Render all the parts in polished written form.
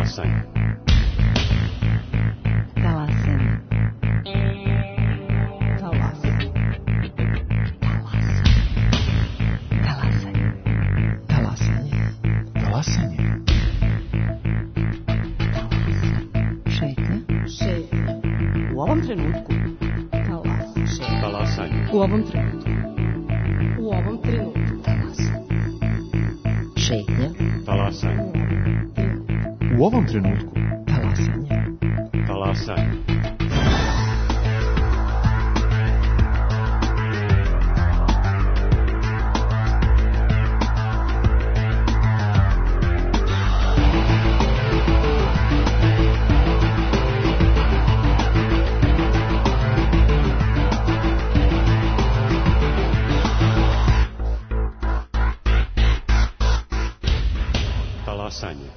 Talasanje. Talasanje. Talasanje. Talasanje. Talasanje. Talasanje. Šetnja. Šetnja. U ovom trenutku. Talasanje. Talasanje. U ovom trenutku. U ovom trenutku. Talasanje. Šetnja. Talasanje. U ovom trenutku. Talasanje. Talasanje. Talasanje.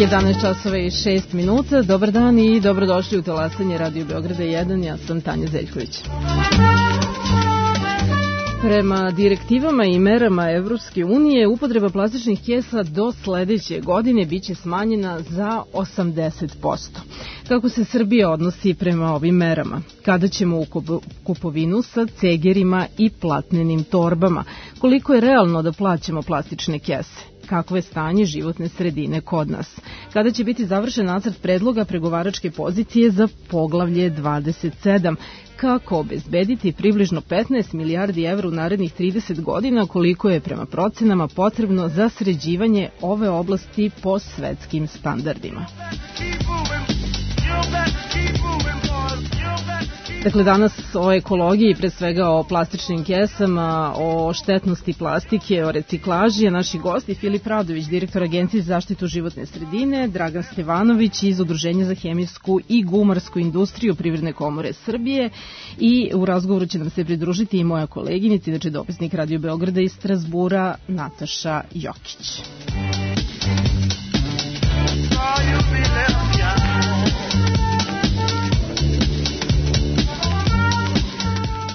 11 časova i 6 minuta. Dobar dan i dobrodošli u Talasanje Radio Beograda 1. Ja sam Tanja Zeljković. Prema direktivama i merama Evropske unije, upotreba plastičnih kesa do sledeće godine biće smanjena za 80%. Kako se Srbija odnosi prema ovim merama? Kada ćemo u kupovinu sa cegerima i platnenim torbama? Koliko je realno da plaćamo plastične kese? Kakvo je stanje životne sredine kod nas? Kada će biti završen nacrt predloga pregovaračke pozicije za poglavlje 27? Kako obezbediti približno 15 milijardi evra u narednih 30 godina, koliko je prema procenama potrebno za sređivanje ove oblasti po svetskim standardima? Dakle, danas o ekologiji, pre svega o plastičnim kesama, o štetnosti plastike, o reciklaži, a naši gosti Filip Radović, direktor Agencije za zaštitu životne sredine, Dragan Stevanović iz Udruženja za hemijsku i gumarsku industriju Privredne komore Srbije, i u razgovoru će nam se pridružiti i moja koleginica, inače dopisnik Radio Beograda iz Strazbura, Nataša Jokić.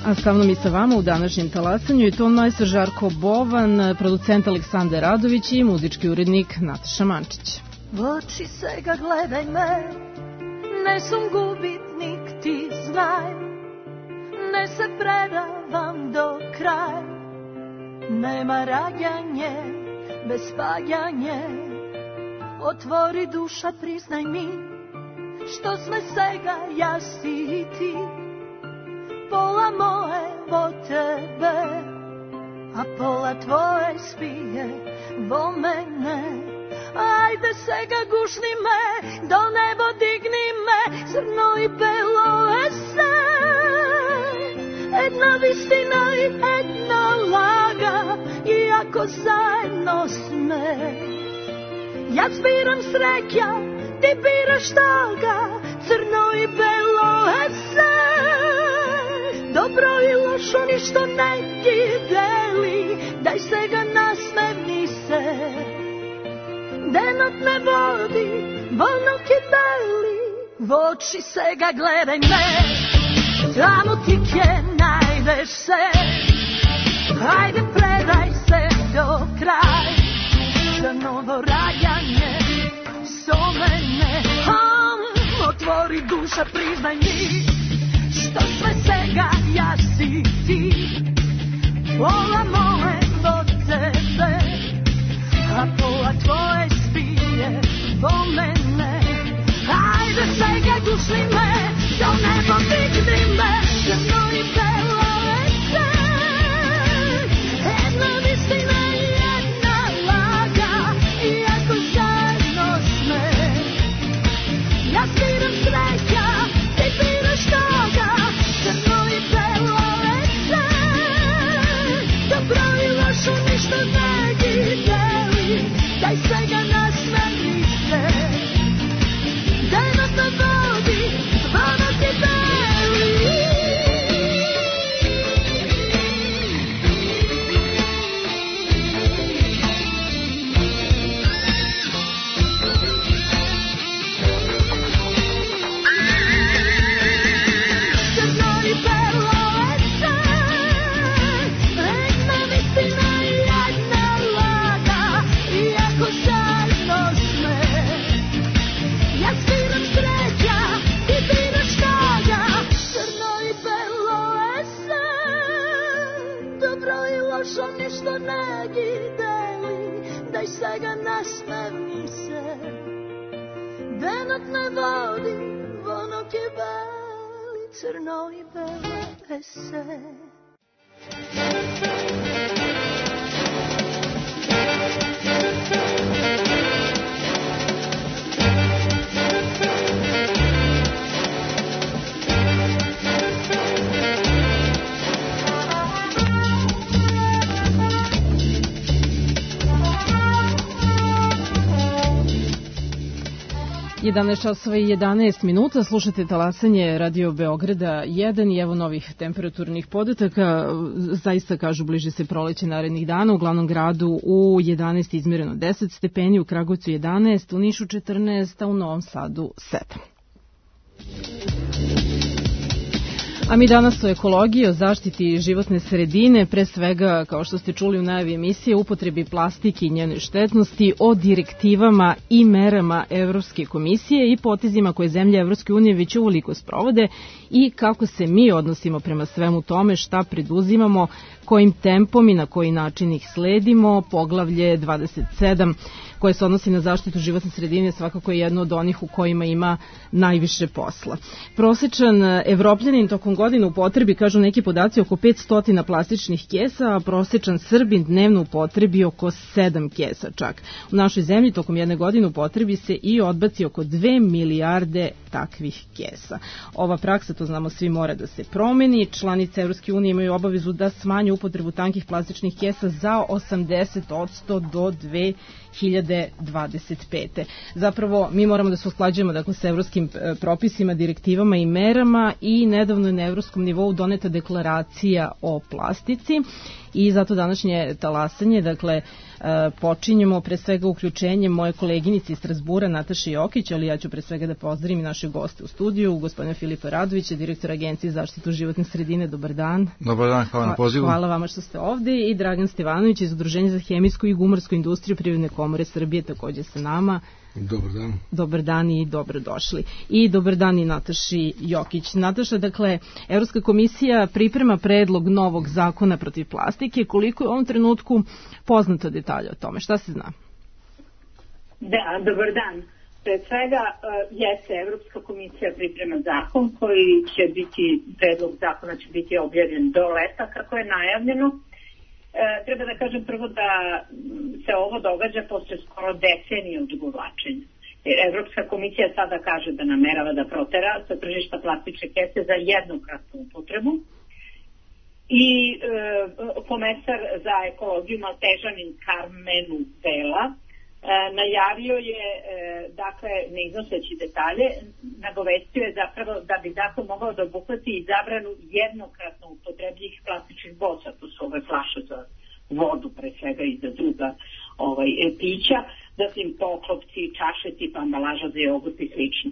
A sa mnom i sa vama u današnjem talasanju je ton majstor Žarko Bovan, producent Aleksandar Radović i muzički urednik Nataša Mančić. U oči se ga gledaj me, ne sam gubitnik, ti znaj, ne se predavam do kraja, nema rađanje bez spaljanje, otvori duša, priznaj mi, što sme svega ja si i ti. Pola moje vo tebe, a pola tvoje spije vo mene. Ajde se ga gušni me, do nebo digni me, crno i belo ese. Jedna vistina i jedna laga, iako zajedno sme. Ja zbiram sreća, ti biraš toga, crno i belo ese. Dobro i lošo ništo ne ti deli, daj se ga nasmevni se. Denot ne vodi, volno ti beli, v oči se ga gledaj me, tamo ti kje najdeš se. Hajde predaj se do kraj, za novo rađanje, so mene. Otvori duša, priznaj mi, što sve svega ja si ti. Pola moje od tebe, a pola tvoje spije vo mene. Ajde svega gušni me, do nebo digni me, crno i belo ese. Jedna vistina i jedna laga, iako zajedno sme. Ja sviram sreća, ti biraš toga, crno i belo ese. Dobro i lošo ništa ne deli, daj svega nasmeni se. Denot na vodi, zvona ti beli. prošlo ništo ne gideli, da iz svega nasmevni se. Denot ne vodi, vonok je beli, crno i bele se. 11 časova i 11 minuta, slušate talasanje Radio Beograda 1 i evo novih temperaturnih podataka. Zaista kažu bliži se proleće narednih dana. U glavnom gradu u 11 izmjereno 10 stepeni, u Kragujevcu 11, u Nišu 14, a u Novom Sadu 7. A mi danas o ekologiji, o zaštiti životne sredine, pre svega, kao što ste čuli u najavi emisije, upotrebi plastike i njenoj štetnosti, o direktivama i merama Evropske komisije i potezima koje zemlje Evropske unije već uveliko sprovode i kako se mi odnosimo prema svemu tome, šta preduzimamo, kojim tempom i na koji način ih sledimo. Poglavlje 27 koje se odnosi na zaštitu životne sredine svakako je jedno od onih u kojima ima najviše posla. Prosečan Evropljanin tokom godine upotrebi, kažu neki podaci, oko 500 plastičnih kesa, a prosečan Srbin dnevno upotrebi oko 7 kesa čak. U našoj zemlji tokom jedne godine upotrebi se i odbaci oko 2 milijarde takvih kesa. Ova praksa, to znamo svi, mora da se promeni. Članice Evropske unije imaju obavezu da smanje upotrebu tankih plastičnih kesa za 80% do 2025. Zapravo, mi moramo da se usklađujemo sa evropskim propisima, direktivama i merama i nedavno je na evropskom nivou doneta deklaracija o plastici i zato današnje talasanje, počinjemo pre svega uključenjem moje koleginice iz Strazbura, Nataše Jokić, ali ja ću pre svega da pozdravim naše goste u studiju, gospodina Filipa Radovića, direktor Agencije za zaštitu životne sredine. Dobar dan. Dobar dan, hvala na pozivu. Hvala vama što ste ovde i Dragan Stevanović iz Udruženja za hemijsku i gumarsku industriju Privredne komore Srbije takođe sa nama. Dobar dan. Dobar dan i dobrodošli. I dobar dan i Nataši Jokić. Nataša, Evropska komisija priprema predlog novog zakona protiv plastike. Koliko je u ovom trenutku poznato detalje o tome? Šta se zna? Da, dobar dan. Pred svega jeste Evropska komisija priprema zakon koji će biti, predlog zakona će biti objavljen do leta kako je najavljeno. Treba da kažem prvo da se ovo događa posle skoro decenije odugovlačenja. Evropska komisija sada kaže da namerava da protera sa tržišta plastične kese za jednokratnu upotrebu i komesar za ekologiju Maltežanin Karmenu Vela najavio je, ne iznoseći detalje, nagovestio je zapravo da bi zakon mogao da obuhvati i zabranu jednokratno upotrebljivih plastičnih boca, to su ove flaše za vodu pre svega i za druga pića, zatim poklopci, čaše tipa ambalaža za jogurt i slično.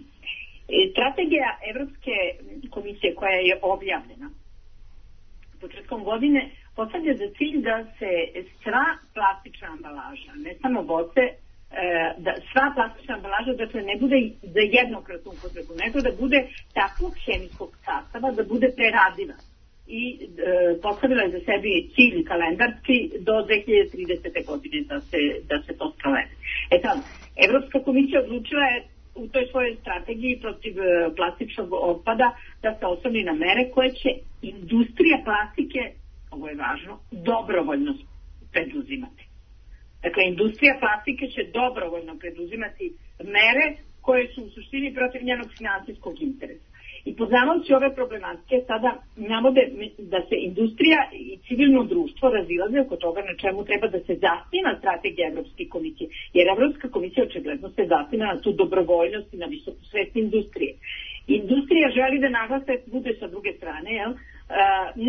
Strategija Evropske komisije koja je objavljena početkom godine postavlja za cilj da se sva plastična ambalaža, ne samo boce, da sva plastična ambalaža ne bude za jednokratnu upotrebu, nego da bude takvog hemijskog sastava da bude preradiva. I postavila je za sebi cilj kalendarski do 2030. godine da se to sprovede. Evropska komisija odlučila je u toj svojoj strategiji protiv plastičnog otpada da se osloni na mere koje će industrija plastike, ovo je važno, dobrovoljno preduzimati. Industrija plastike će dobrovoljno preduzimati mere koje su u suštini protiv njenog finansijskog interesa. I poznavajući ove problematike sada navode da se industrija i civilno društvo razilaze oko toga na čemu treba da se zasniva strategija Evropske komisije. Jer Evropska komisija očigledno se zasniva na tu dobrovoljnost i na visoku svest industrije. Industrija želi da naglasak bude sa druge strane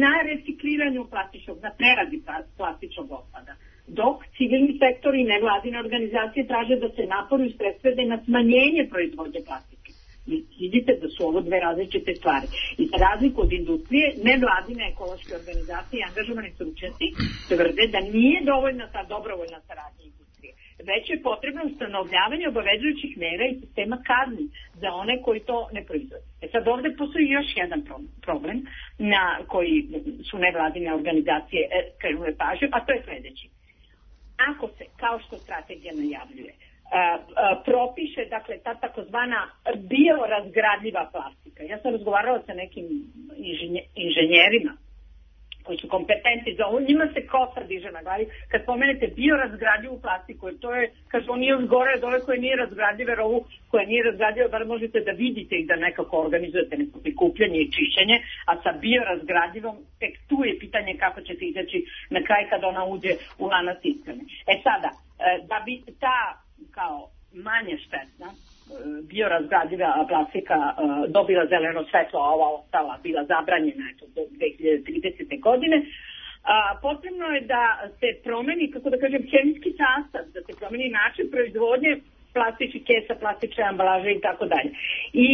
na recikliranju plastičnog, na preradi plastičnog otpada. Dok civilni sektor i nevladine organizacije traže da se napori usredstvede na smanjenje proizvodnje plastike. Vidite da su ovo dve različite stvari. I za razliku od industrije, nevladine ekološke organizacije i angažovani stručnjaci tvrde da nije dovoljna ta dobrovoljna saradnja industrije, već je potrebno ustanovljavanje obavezujućih mera i sistema kazni za one koji to ne proizvode. Sad ovde postoji još jedan problem na koji su nevladine organizacije krenule pažnju, a to je sledeći. Ako se, kao što strategija najavljuje, propiše, dakle, ta takozvana biorazgradljiva plastika. Ja sam razgovarala sa nekim inženjerima koji su kompetentni za ovo, njima se kosa diže na glavi kad pomenete biorazgradljivu plastiku, jer to je, kaže, on nije još gore od ove koje nije razgradljive, jer ovu koja nije razgradljiva, bar možete da vidite i da nekako organizujete neko prikupljanje i čišćenje, a sa biorazgradljivom tek tu je pitanje kako ćete izaći na kraj kad ona uđe u lanac ishrane. Sada, da bi ta kao manje štetna biorazgradiva plastika dobila zeleno svetlo, a ova ostala bila zabranjena do 2030. godine, potrebno je da se promeni, kako da kažem, hemijski sastav, da se promeni način proizvodnje plastičnih kesa, plastične ambalaže i tako dalje. I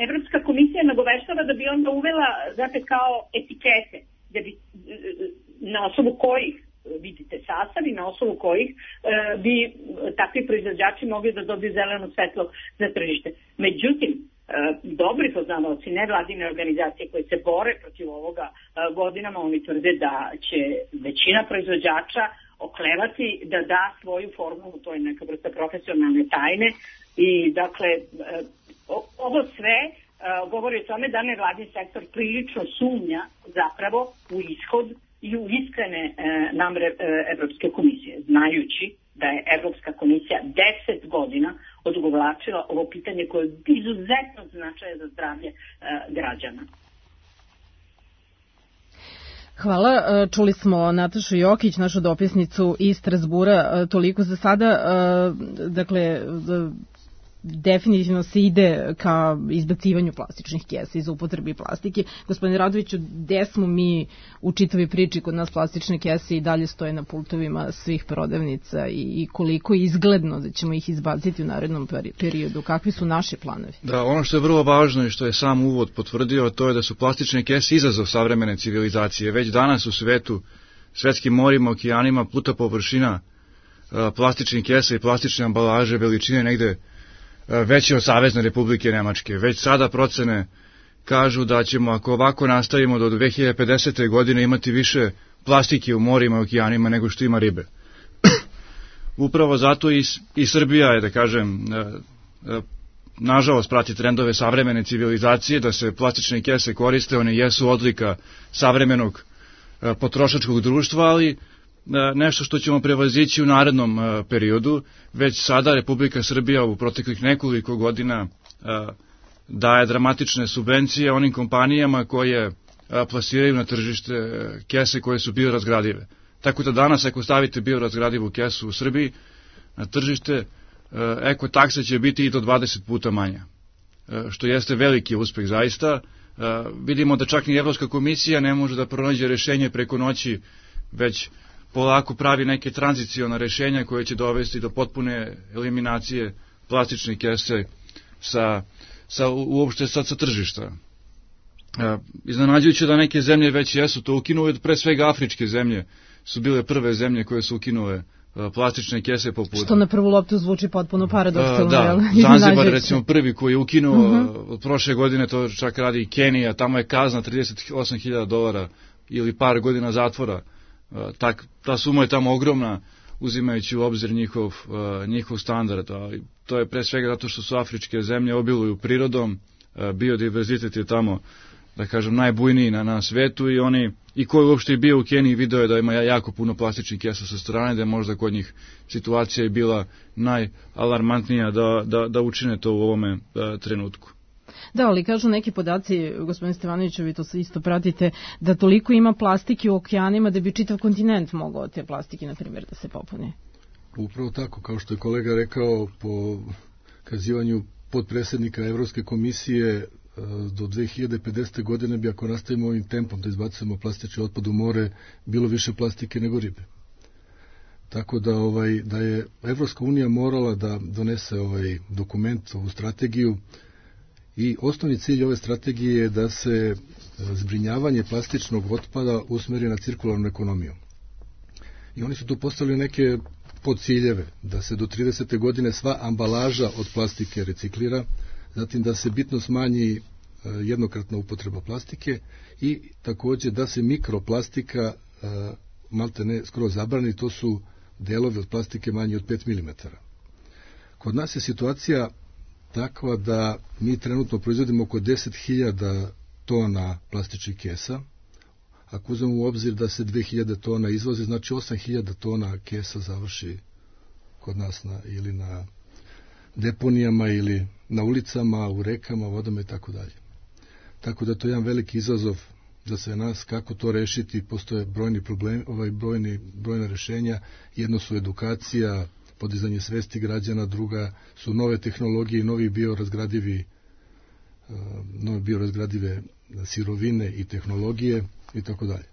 Evropska komisija nagoveštava da bi onda uvela, znate, kao etikete, da bi, na osnovu kojih vidite sastav i na osnovu kojih bi takvi proizvođači mogli da dobiju zeleno svetlo za tržište. Međutim, dobri poznavaoci nevladine organizacije koje se bore protiv ovoga godinama, oni tvrde da će većina proizvođača oklevati da da svoju formulu, to je neka vrsta profesionalne tajne i dakle ovo sve govori o tome da nevladin sektor prilično sumnja zapravo u ishod i u iskrene namere Evropske komisije, znajući da je Evropska komisija 10 godina odugovlačila ovo pitanje koje je izuzetno značaja za zdravlje građana. Hvala. Čuli smo Natašu Jokić, našu dopisnicu iz Strazbura. Toliko za sada. Dakle, definitivno se ide ka izbacivanju plastičnih kesa iz upotrebi plastike. Gospodine Radoviću, gde smo mi u čitavi priči? Kod nas plastične kese i dalje stoje na pultovima svih prodavnica i koliko je izgledno da ćemo ih izbaciti u narednom periodu? Kakvi su naši planovi? Da, ono što je vrlo važno i što je sam uvod potvrdio, to je da su plastične kese izazov savremene civilizacije. Već danas u svetu, svetskim morima, okeanima, pluta površina plastičnih kesa i plastične ambalaže veličine negde veće od Savezne Republike Nemačke. Već sada procene kažu da ćemo, ako ovako nastavimo, do 2050. godine imati više plastike u morima i okeanima nego što ima ribe. Upravo zato i Srbija je, da kažem, nažalost prati trendove savremene civilizacije, da se plastične kese koriste, one jesu odlika savremenog potrošačkog društva, ali nešto što ćemo prevazići u narednom periodu. Već sada Republika Srbija u proteklih nekoliko godina daje dramatične subvencije onim kompanijama koje plasiraju na tržište kese koje su biorazgradive. Tako da danas ako stavite biorazgradivu kesu u Srbiji na tržište, ekotaksa će biti i do 20 puta manja, što jeste veliki uspeh zaista. Vidimo da čak ni Evropska komisija ne može da pronađe rešenje preko noći, već polako pravi neke tranziciona rešenja koje će dovesti do potpune eliminacije plastične kese uopšte sa tržišta. Iznenađujuće da neke zemlje već jesu to ukinule, pre svega afričke zemlje su bile prve zemlje koje su ukinule plastične kese poput... Što na prvu loptu zvuči potpuno paradoksalno. Da, Zanzibar recimo prvi koji je ukinuo od prošle godine, to čak radi i Kenija, tamo je kazna $38.000 ili par godina zatvora. Ta suma je tamo ogromna, uzimajući u obzir njihov standard. To je pre svega zato što su afričke zemlje obiluju prirodom, biodiverzitet je tamo, da kažem, najbujniji na svetu i ko je uopšte bio u Keniji video je da ima jako puno plastičnih kesa sa strane, da je možda kod njih situacija je bila najalarmantnija da učine to u ovome trenutku. Da, ali kažu neki podaci, gospodin Stevanoviću, vi to isto pratite, da toliko ima plastike u okeanima da bi čitav kontinent mogao te plastike, na primjer, da se popuni. Upravo tako, kao što je kolega rekao, po kazivanju podpredsednika Evropske komisije, do 2050. godine bi, ako nastavimo ovim tempom da izbacujemo plastični otpad u more, bilo više plastike nego ribe. Tako da je Evropska unija morala da donese ovaj dokument, ovu strategiju, i osnovni cilj ove strategije je da se zbrinjavanje plastičnog otpada usmeri na cirkularnu ekonomiju. I oni su tu postavili neke podciljeve, da se do 30. godine sva ambalaža od plastike reciklira, zatim da se bitno smanji jednokratna upotreba plastike i također da se mikroplastika malte ne skroz zabrani, to su delovi od plastike manji od 5 mm. Kod nas je situacija takva da mi trenutno proizvodimo oko 10.000 tona plastičnih kesa. Ako uzmemo u obzir da se 2.000 tona izvoze, znači 8.000 tona kesa završi kod nas ili na deponijama ili na ulicama, u rekama, vodama i tako dalje. Tako da to je jedan veliki izazov za sve nas, kako to rešiti. Postoje brojni problemi, brojna rešenja. Jedno su edukacija, podizanje svesti građana, druga su nove tehnologije i nove biorazgradive sirovine i tehnologije i tako dalje.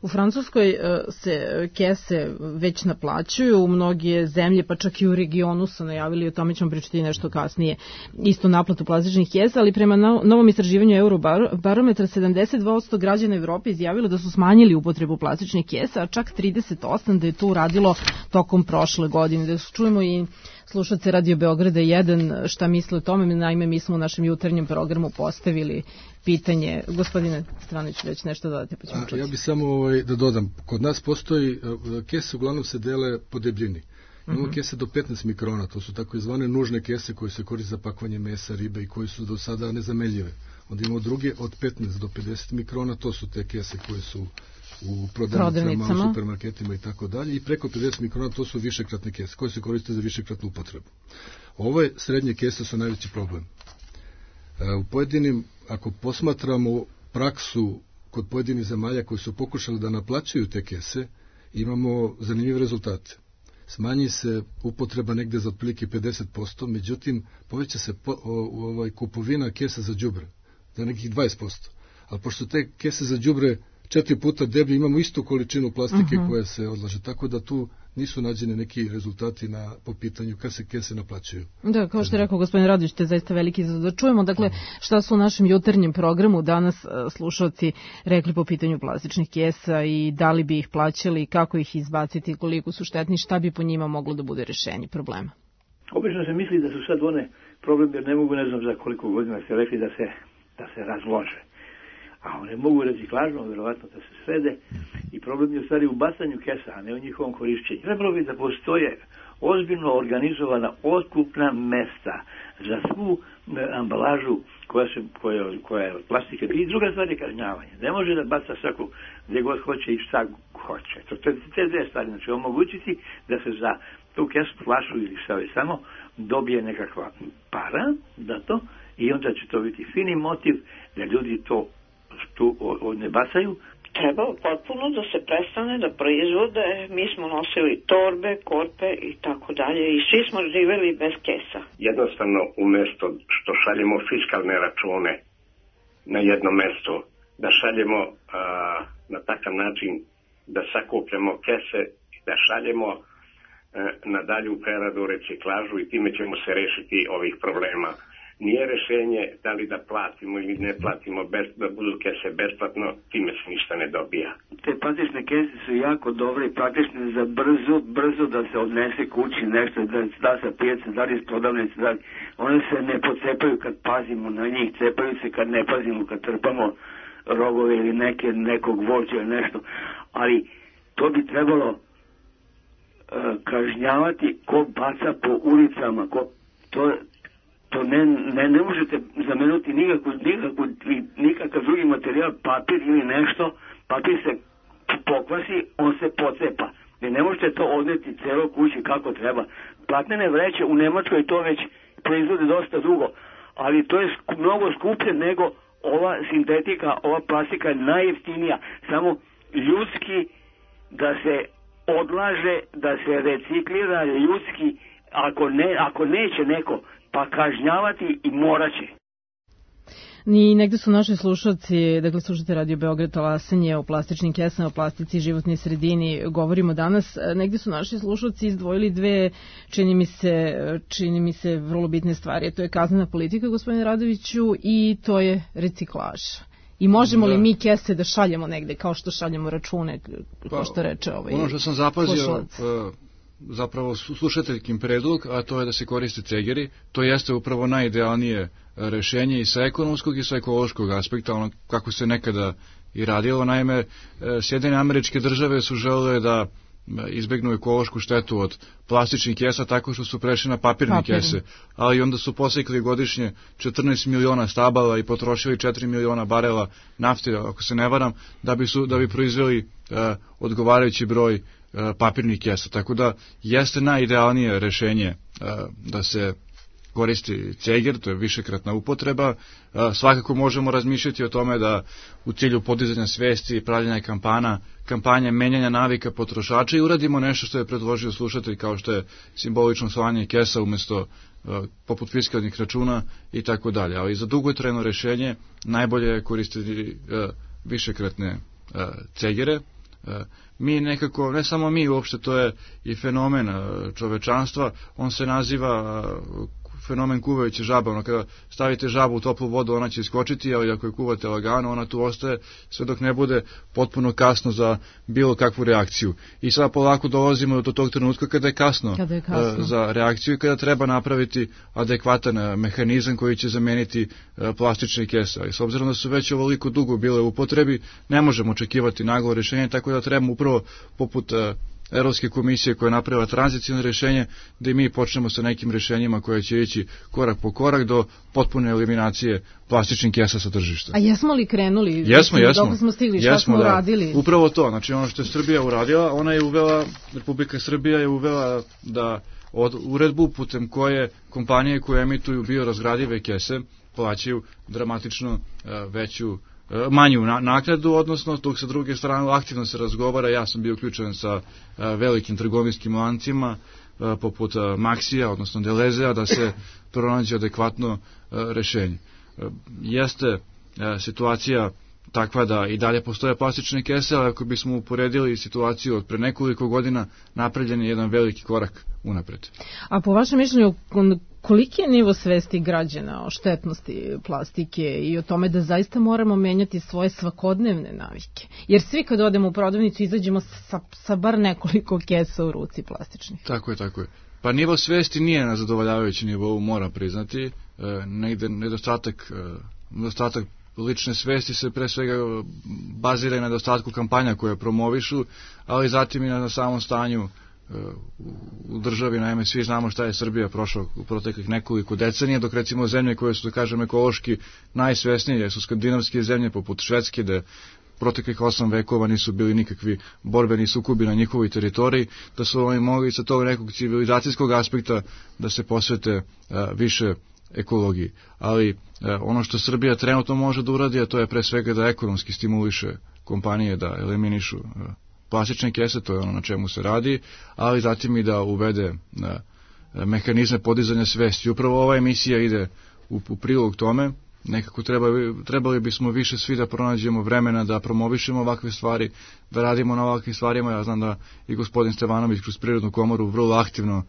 U Francuskoj se kese već naplaćuju, mnoge zemlje, pa čak i u regionu su najavili, o tome ćemo pričati nešto kasnije, isto naplatu plastičnih kesa, ali prema novom istraživanju Eurobarometra 72% građana Evrope izjavilo da su smanjili upotrebu plastičnih kesa, a čak 38% da je to uradilo tokom prošle godine. Da čujemo i slušalce Radio Beograda 1 šta misle o tome. Naime, mi smo u našem jutarnjem programu postavili pitanje. Gospodine Stranović, već nešto dodate, pa ćemo čuti. Ja bih samo da dodam. Kod nas postoji, kese uglavnom se dele po debljini. Imamo kese do 15 mikrona, to su tako izvane nužne kese koje se koriste za pakovanje mesa, ribe i koje su do sada nezamenljive. Onda imamo druge od 15 do 50 mikrona, to su te kese koje su u prodavnicama, u supermarketima i tako dalje. I preko 50 mikrona to su višekratne kese koje se koriste za višekratnu upotrebu. Ove srednje kese su najveći problem. U pojedinim, ako posmatramo praksu kod pojedinih zemalja koji su pokušali da naplaćuju te kese, imamo zanimljive rezultate. Smanji se upotreba negde za otprilike 50%, međutim poveća se kupovina kesa za đubre za nekih 20%. Ali pošto te kese za đubre 4 puta deblje, imamo istu količinu plastike koja se odlaže, tako da tu nisu nađene neki rezultati po pitanju kad se kese naplaćuju. Da, kao što je rekao gospodin Radović, to je zaista veliki izazov. Da čujemo, dakle, šta su u našem jutarnjem programu danas slušalci rekli po pitanju plastičnih kesa i da li bi ih plaćali, kako ih izbaciti, koliko su štetni, šta bi po njima moglo da bude rešenje problema. Obično se misli da su sad one problemi, jer ne mogu, ne znam za koliko godina se rekli da se razlože. A one mogu reciklažno, verovatno da se srede, i problem je u stvari u bacanju kesa, a ne u njihovom korišćenju. Trebalo bi da postoje ozbiljno organizovana otkupna mesta za svu ambalažu koja je od plastike. I druga stvar je kažnjavanje. Ne može da baca svako gdje god hoće i šta hoće. To je te dve stvari. Znači omogućiti da se za tu kesu, flašu ili šta je samo dobije nekakva para za to i onda će to biti fini motiv da ljudi to ne bacaju. Treba potpuno da se prestane da proizvode. Mi smo nosili torbe, korpe i tako dalje i svi smo živeli bez kesa. Jednostavno, umjesto što šaljemo fiskalne račune na jedno mesto, da šaljemo na takav način da sakupljamo kese i da šaljemo na dalju preradu, reciklažu i time ćemo se rešiti ovih problema. Nije rešenje da li da platimo ili ne platimo, da budu kese besplatno, time se ništa ne dobija. Te plastične kese su jako dobre i praktične za brzo da se odnese kući nešto, da sa pijace, da li iz prodavnice, da li. One se ne pocepaju kad pazimo na njih, cepaju se kad ne pazimo, kad trpamo rogove ili nekog voća ili nešto. Ali to bi trebalo kažnjavati ko baca po ulicama, to ne možete zamenuti nikakav drugi materijal, papir ili nešto, papir se pokvasi, on se pocepa. Vi ne možete to odneti celo kući kako treba. Platnene vreće u Nemačkoj to već proizvode dosta dugo, ali to je mnogo skuplje nego ova sintetika, ova plastika je najjeftinija. Samo ljudski da se odlaže, da se reciklira ljudski, ako neće neko, pa kažnjavati i moraće. Ni negde su naši slušalci, dakle slušate Radio Beograd, talasanje o plastičnim kesama, o plastici i životnoj sredini, govorimo danas. Negde su naši slušalci izdvojili dve, čini mi se vrlo bitne stvari. To je kaznena politika, gospodine Radoviću, i to je reciklaža. I možemo li mi kese da šaljemo negde, kao što šaljemo račune, kao što reče ovaj ono što sam zapazio, slušalac? Zapravo slušateljkim predlog, a to je da se koriste cegeri, to jeste upravo najidealnije rešenje i sa ekonomskog i sa ekološkog aspekta, ono kako se nekada i radilo. Naime, Sjedinjene Američke Države su želele da izbegnu ekološku štetu od plastičnih kesa tako što su prešli na papirne kese, ali onda su posekli godišnje 14 miliona stabala i potrošili 4 miliona barela nafte, ako se ne varam, da bi proizveli odgovarajući broj papirnih kesa. Tako da jeste najidealnije rešenje da se koristi ceger, to je višekratna upotreba. Svakako možemo razmišljati o tome da u cilju podizanja svesti i pravljenja kampanje menjanja navika potrošača i uradimo nešto što je predložio slušatelj, kao što je simbolično slanje kesa umesto poput fiskalnih računa i tako dalje. Ali za dugotrajno rešenje najbolje je koristiti višekratne cegere. Mi nekako, ne samo mi uopšte, to je i fenomen čovečanstva, on se naziva fenomen kuvajuće žabe, ono kada stavite žabu u toplu vodu ona će iskočiti, ali ako je kuvate lagano ona tu ostaje sve dok ne bude potpuno kasno za bilo kakvu reakciju. I sad polako dolazimo do tog trenutka kada je kasno za reakciju i kada treba napraviti adekvatan mehanizam koji će zameniti plastične kese. Ali s obzirom da su već ovoliko dugo bile u upotrebi, ne možemo očekivati naglo rješenje, tako da trebamo upravo poput Evropske komisije koja je napravila tranzicijno rješenje, da i mi počnemo sa nekim rješenjima koje će ići korak po korak do potpune eliminacije plastičnih kesa sa tržišta. A jesmo li krenuli? Jesmo. Dok smo stigli, šta smo uradili? Upravo to, znači ono što je Srbija uradila, ona je uvela, Republika Srbija je uvela da od uredbu putem koje kompanije koje emituju biorazgradive kese plaćaju dramatično manju naknadu, odnosno dok sa druge strane aktivno se razgovara. Ja sam bio uključen sa velikim trgovinskim lancima poput Maxija, odnosno Delezea, da se pronađe adekvatno rešenje. Jeste situacija takva da i dalje postoje plastične kese, ali ako bismo uporedili situaciju od pre nekoliko godina, napravljen je jedan veliki korak unapred. A po vašem mišljenju, koliki je nivo svesti građana o štetnosti plastike i o tome da zaista moramo menjati svoje svakodnevne navike? Jer svi kad odemo u prodavnicu izađemo sa bar nekoliko kesa u ruci plastičnih. Tako je. Pa nivo svesti nije na zadovoljavajući nivou, mora priznati. Negde nedostatak lične svesti se pre svega bazira na nedostatku kampanja koje promovišu, ali zatim i na samom stanju u državi. Naime, svi znamo šta je Srbija prošla u proteklih nekoliko decenija, dok recimo zemlje koje su, da kažem, ekološki najsvesnije su skandinavske zemlje poput Švedske, da proteklih 8 vekova nisu bili nikakvi borbeni sukobi na njihovoj teritoriji, da su oni mogli sa tog nekog civilizacijskog aspekta da se posvete više ekologiji. Ali ono što Srbija trenutno može da uradi, a to je pre svega da ekonomski stimuliše kompanije da eliminišu plastične kese, to je ono na čemu se radi, ali zatim i da uvede mehanizme podizanja svesti. Upravo ova emisija ide u prilog tome. Nekako trebali bismo više svi da pronađemo vremena da promovišemo ovakve stvari, da radimo na ovakvim stvarima. Ja znam da i gospodin Stevanović kroz Prirodnu komoru vrlo aktivno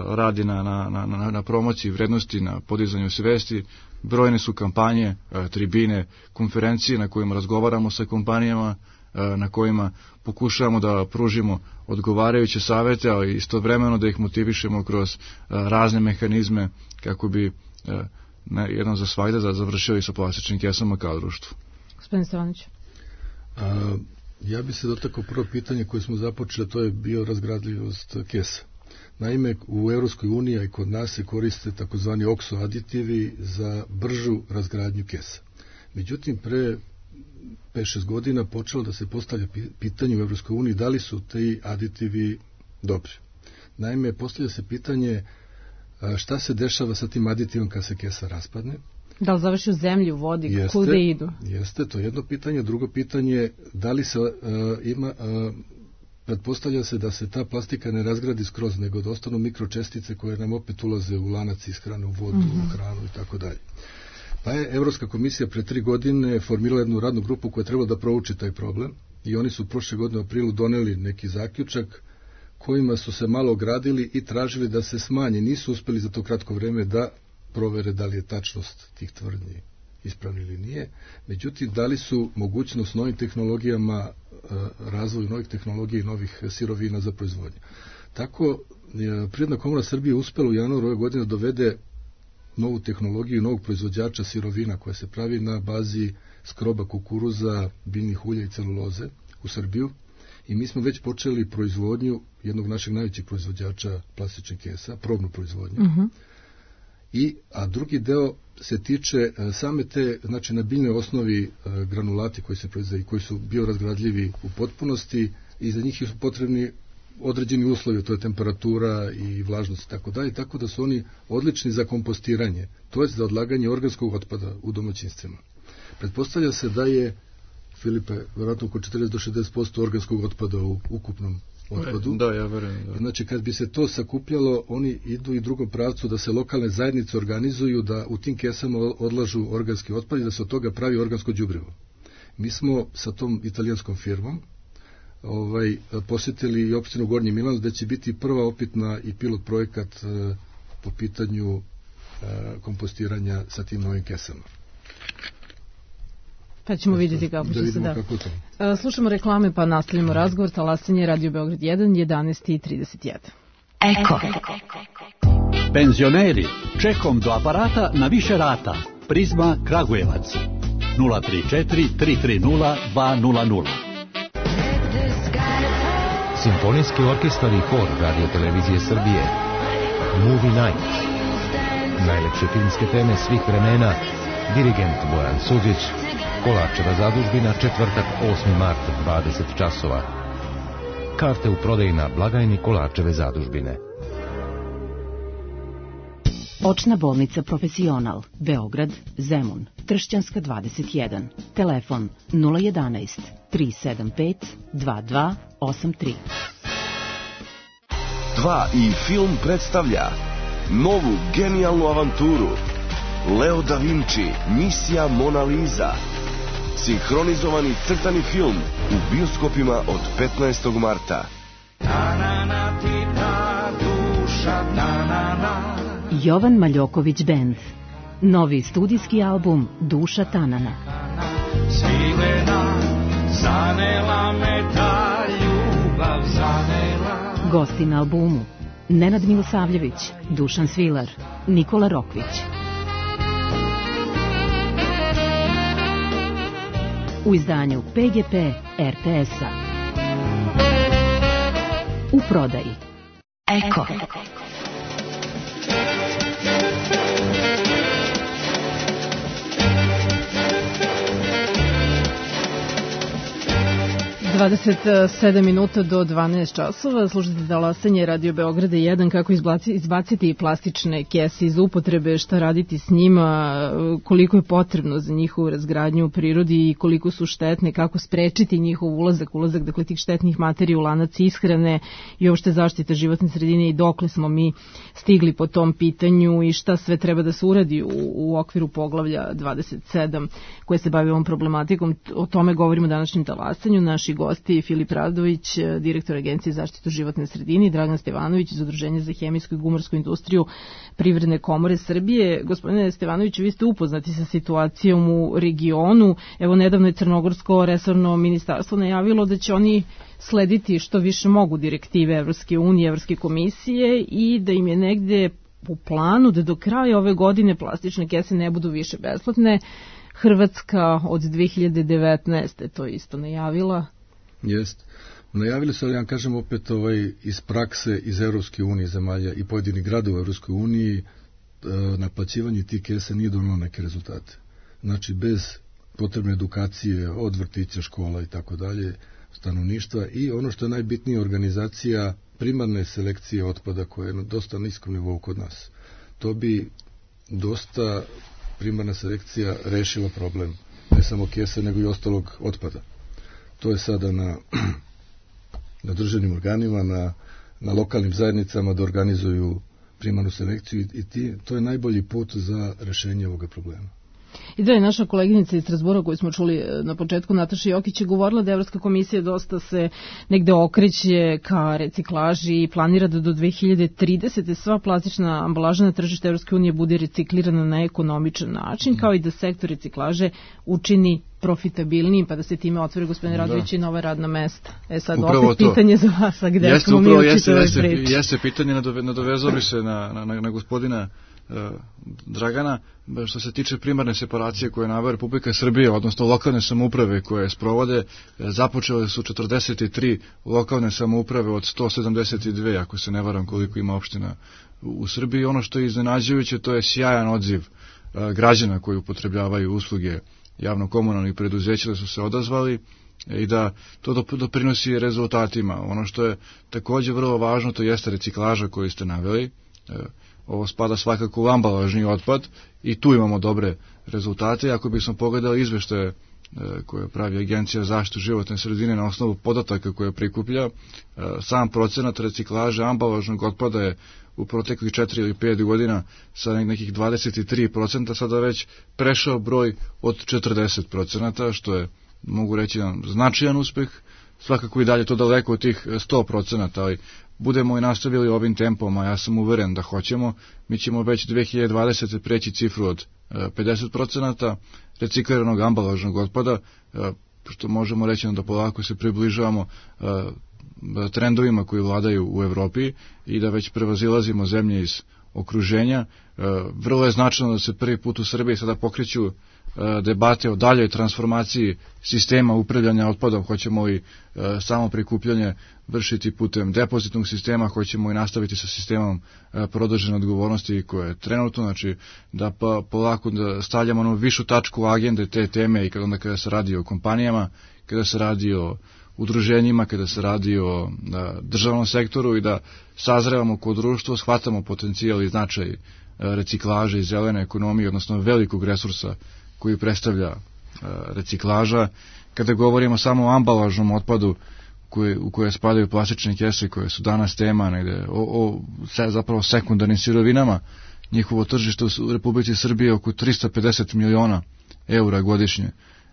radi na promociji vrednosti, na podizanju svesti. Brojne su kampanje, tribine, konferencije na kojima razgovaramo sa kompanijama, na kojima pokušavamo da pružimo odgovarajuće savete, ali istovremeno da ih motivišemo kroz razne mehanizme kako bi jednom za svagda da završili sa plastičnim kesama kao društvo. Gospodin Stevanović. Ja bi se dotakao prvo pitanje koje smo započeli, to je biorazgradljivost kesa. Naime, u Evropskoj uniji i kod nas se koriste takozvani okso aditivi za bržu razgradnju kesa. Međutim, pre 5-6 godina počelo da se postavlja pitanje u Evropskoj uniji da li su ti aditivi dobri. Naime, postavlja se pitanje šta se dešava sa tim aditivom kad se kesa raspadne. Da li završi u zemlji, u vodi, kude idu? Jeste, to je jedno pitanje. Drugo pitanje, da li se pretpostavlja se da se ta plastika ne razgradi skroz, nego da ostanu mikročestice koje nam opet ulaze u lanac ishrane, u vodu, u hranu i tako dalje. Pa je Evropska komisija pre 3 godine formirala jednu radnu grupu koja je trebala da prouči taj problem i oni su prošle godine u aprilu doneli neki zaključak kojima su se malo ogradili i tražili da se smanje. Nisu uspeli za to kratko vreme da provere da li je tačnost tih tvrdnji ispravni ili nije. Međutim, dali su mogućnost novim tehnologijama, razvoju novih tehnologija i novih sirovina za proizvodnju. Tako, Privredna komora Srbije uspela u januaru ove godine dovede novu tehnologiju, novog proizvođača sirovina koja se pravi na bazi skroba kukuruza, biljnih ulja i celuloze u Srbiju. I mi smo već počeli proizvodnju jednog našeg najvećih proizvođača plastičnih kesa, probnu proizvodnju. A drugi deo se tiče same te, znači na biljnoj osnovi granulati koji se proizvode i koji su biorazgradljivi u potpunosti i za njih su potrebni određeni uslovi, to je temperatura i vlažnost i tako dalje, tako da su oni odlični za kompostiranje, to je za odlaganje organskog otpada u domaćinstvima. Pretpostavlja se da je, Filipe, vjerojatno oko 40 do 60% organskog otpada u ukupnom otpadu. Da, ja verujem. Da. Znači, kad bi se to sakupljalo, oni idu i drugom pravcu da se lokalne zajednice organizuju, da u tim kesama odlažu organski otpad i da se od toga pravi organsko đubrivo. Mi smo sa tom italijanskom firmom posjetili i opštinu Gornji Milanac, da će biti prva opitna i pilot projekat po pitanju kompostiranja sa tim novim kesama. Pa ćemo vidjeti kako će se da. Slušamo reklame pa nastavljamo razgovor. Talasanje Radio Beograd 1, 11:31. Eko. Penzioneri, čekom do aparata na više rata. Prizma Kragujevac 034 330 200. Simfonijski orkestar i hor Radio Televizije Srbije. Movie Night. Najlepše filmske teme svih vremena. Dirigent Bojan Suđić. Kolarčeva zadužbina, četvrtak 8. mart 20 časova. Karte u prodaji na blagajni Kolarčeve zadužbine. Očna bolnica Profesional, Beograd, Zemun, Tršćanska 21, telefon 011 375 2283. 2 i film predstavlja novu genijalnu avanturu Leo da Vinci, misija Mona Lisa. Sinhronizovani crtani film u bioskopima od 15. marta. Jovan Maljoković Band. Novi studijski album Duša Tanana. Gosti na albumu Nenad Milosavljević, Dušan Svilar, Nikola Rokvić. U izdanju PGP RTS-a. U prodaji Eko. 27 minuta do 12 časova. Slušajte Talasanje Radio Beograda 1, kako izbaciti plastične kese iz upotrebe, šta raditi s njima, koliko je potrebno za njihovu razgradnju u prirodi i koliko su štetne, kako sprečiti njihov ulazak dakle tih štetnih materija u lanac ishrane i uopšte zaštita životne sredine i dokle smo mi stigli po tom pitanju i šta sve treba da se uradi u okviru poglavlja 27 koje se bavi ovom problematikom. O tome govorimo u današnjem Talasanju. Naši gosti Filip Radović, direktor Agencije za zaštitu životne sredine, i Dragan Stevanović iz Udruženja za hemijsku i gumarsku industriju Privredne komore Srbije. Gospodine Stevanoviću, vi ste upoznati sa situacijom u regionu. Evo, nedavno je Crnogorsko resorno ministarstvo najavilo da će oni slediti što više mogu direktive Evropske unije, Evropske komisije i da im je negde u planu da do kraja ove godine plastične kese ne budu više besplatne. Hrvatska od 2019. to isto najavila. Jest. Najavili su, ali ja kažem opet iz prakse iz Evropske unije zemalja i pojedinih gradova u Evropskoj uniji naplaćivanje tih kesa nije donalo neke rezultate. Znači, bez potrebne edukacije od vrtića, škola i tako dalje, stanovništva i ono što je najbitnije, organizacija primarne selekcije otpada koja je na dosta niskom nivou kod nas. To bi dosta primarna selekcija rešila problem, ne samo kese, nego i ostalog otpada. To je sada na državnim organima, na lokalnim zajednicama da organizuju primarnu selekciju i to je najbolji put za rešenje ovoga problema. I da je naša koleginica iz Strasbura koju smo čuli na početku, Nataša Jokić, je govorila da Evropska komisija dosta se negde okreće ka reciklaži i planira da do 2030. sva plastična ambalaža na tržište Evropske unije bude reciklirana na ekonomičan način, kao i da sektor reciklaže učini profitabilnijim, pa da se time otvori, gospodine Radović, i nova radna mesta. Sad upravo opet pitanje za vas, a gde smo mi učiti ove priče? Jeste pitanje, nadovezao bi se na gospodina Dragana, što se tiče primarne separacije koje je naveo Republika Srbija, odnosno lokalne samouprave koje sprovode, započele su 43 lokalne samouprave od 172, ako se ne varam koliko ima opština u Srbiji. Ono što je iznenađujuće, to je sjajan odziv građana koji upotrebljavaju usluge javno-komunalnih preduzeća, da su se odazvali i da to doprinosi rezultatima. Ono što je takođe vrlo važno, to jeste reciklaža koju ste naveli. Ovo spada svakako u ambalažni otpad i tu imamo dobre rezultate. Ako bismo pogledali izveštaje koje pravi Agencija za zaštitu životne sredine na osnovu podataka koje prikuplja, sam procenat reciklaže ambalažnog otpada je u proteklih 4 ili 5 godina sa nekih 23% sada već prešao broj od 40%, što je, mogu reći, značajan uspeh. Svakako i dalje to daleko od tih 100%, ali budemo i nastavili ovim tempom, a ja sam uveren da hoćemo, mi ćemo već 2020. preći cifru od 50% recikliranog ambalažnog otpada, što možemo reći da polako se približavamo trendovima koji vladaju u Evropi i da već prevazilazimo zemlje iz okruženja. Vrlo je značajno da se prvi put u Srbiji sada pokreću debate o daljoj transformaciji sistema upravljanja otpadom. Hoćemo i samo prikupljanje vršiti putem depozitnog sistema, hoćemo i nastaviti sa sistemom produžene odgovornosti koje je trenutno, znači da polako da stavljamo onu višu tačku agende te teme i kada se radi o kompanijama, kada se radi o udruženjima, kada se radi o državnom sektoru i da sazrevamo kao društvo, shvatamo potencijal i značaj reciklaže i zelene ekonomije, odnosno velikog resursa koji predstavlja reciklaža. Kada govorimo samo o ambalažnom otpadu u koje spadaju plastične kese koje su danas tema negde, zapravo sekundarnim sirovinama, njihovo tržište u Republici Srbije je oko 350 miliona eura godišnje.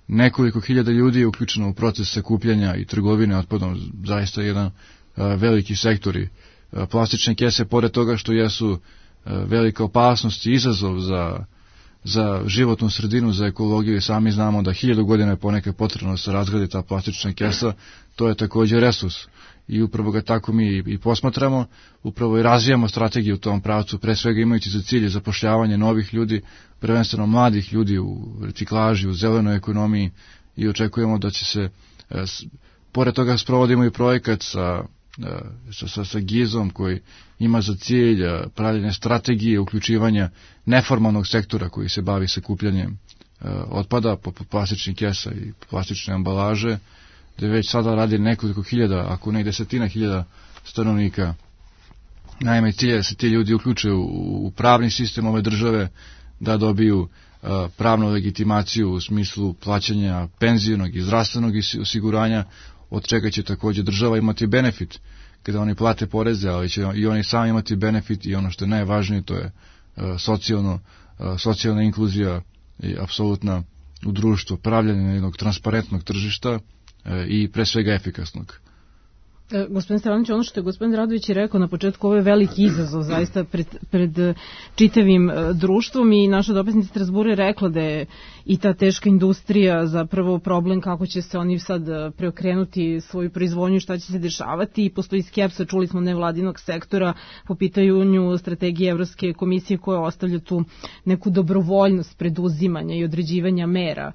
Nekoliko hiljada ljudi je uključeno u proces sakupljanja i trgovine otpadom, zaista jedan veliki sektor. I plastične kese, pored toga što jesu velika opasnost i izazov za životnu sredinu, za ekologiju, i sami znamo da 1000 godina je ponekad potrebno da se razgradi ta plastična kesa, to je također resurs. I upravo ga tako mi i posmatramo, upravo i razvijamo strategiju u tom pravcu, pre svega imajući za cilj zapošljavanje novih ljudi, prvenstveno mladih ljudi u reciklaži, u zelenoj ekonomiji, i očekujemo da će se, pored toga sprovodimo i projekat sa GIZ-om koji ima za cilj pravljenje strategije uključivanja neformalnog sektora koji se bavi sakupljanjem otpada poput plastičnih kesa i plastične ambalaže, gde već sada radi nekoliko hiljada, ako ne i desetina hiljada stanovnika. Naime, cilj je da se ti ljudi uključe u pravni sistem ove države, da dobiju pravnu legitimaciju u smislu plaćanja penzionog i zdravstvenog osiguranja, od čega će također država imati benefit kada oni plate poreze, ali će i oni sami imati benefit, i ono što je najvažnije, to je socijalna inkluzija i apsolutna u društvu, pravljanje jednog transparentnog tržišta i pre svega efikasnog. Gospodin Stevanović, ono što je gospodin Radović rekao na početku, ovo je veliki izazov zaista pred čitavim društvom, i naša dopisnica Strasbura je rekla da je i ta teška industrija zapravo problem kako će se oni sad preokrenuti svoju proizvodnju i šta će se dešavati, i postoji skepsa, čuli smo, nevladinog sektora po pitanju strategije Evropske komisije koja ostavlja tu neku dobrovoljnost preduzimanja i određivanja mera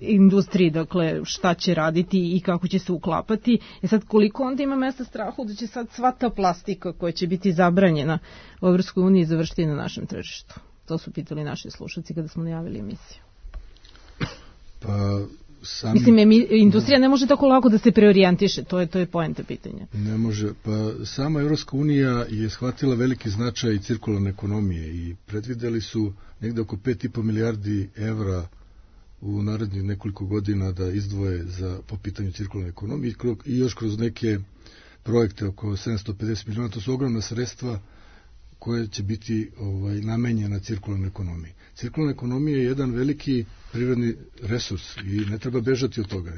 industriji, dakle šta će raditi i kako će se uklapati. Sad koliko onda ima mesta strahu da će sad sva ta plastika koja će biti zabranjena u Evropskoj uniji završiti na našem tržištu? To su pitali naši slušalci kada smo najavili emisiju. Mislim, industrija ne može tako lako da se preorijentiše, to je poenta pitanja. Ne može, pa sama Evropska unija je shvatila veliki značaj cirkularne ekonomije i predvideli su negde oko 5,5 milijardi evra u narednih nekoliko godina da izdvoje po pitanju cirkularne ekonomije i još kroz neke projekte oko 750 miliona. To su ogromna sredstva koje će biti namenjena cirkularnoj ekonomiji. Cirkularna ekonomija je jedan veliki prirodni resurs i ne treba bežati od toga.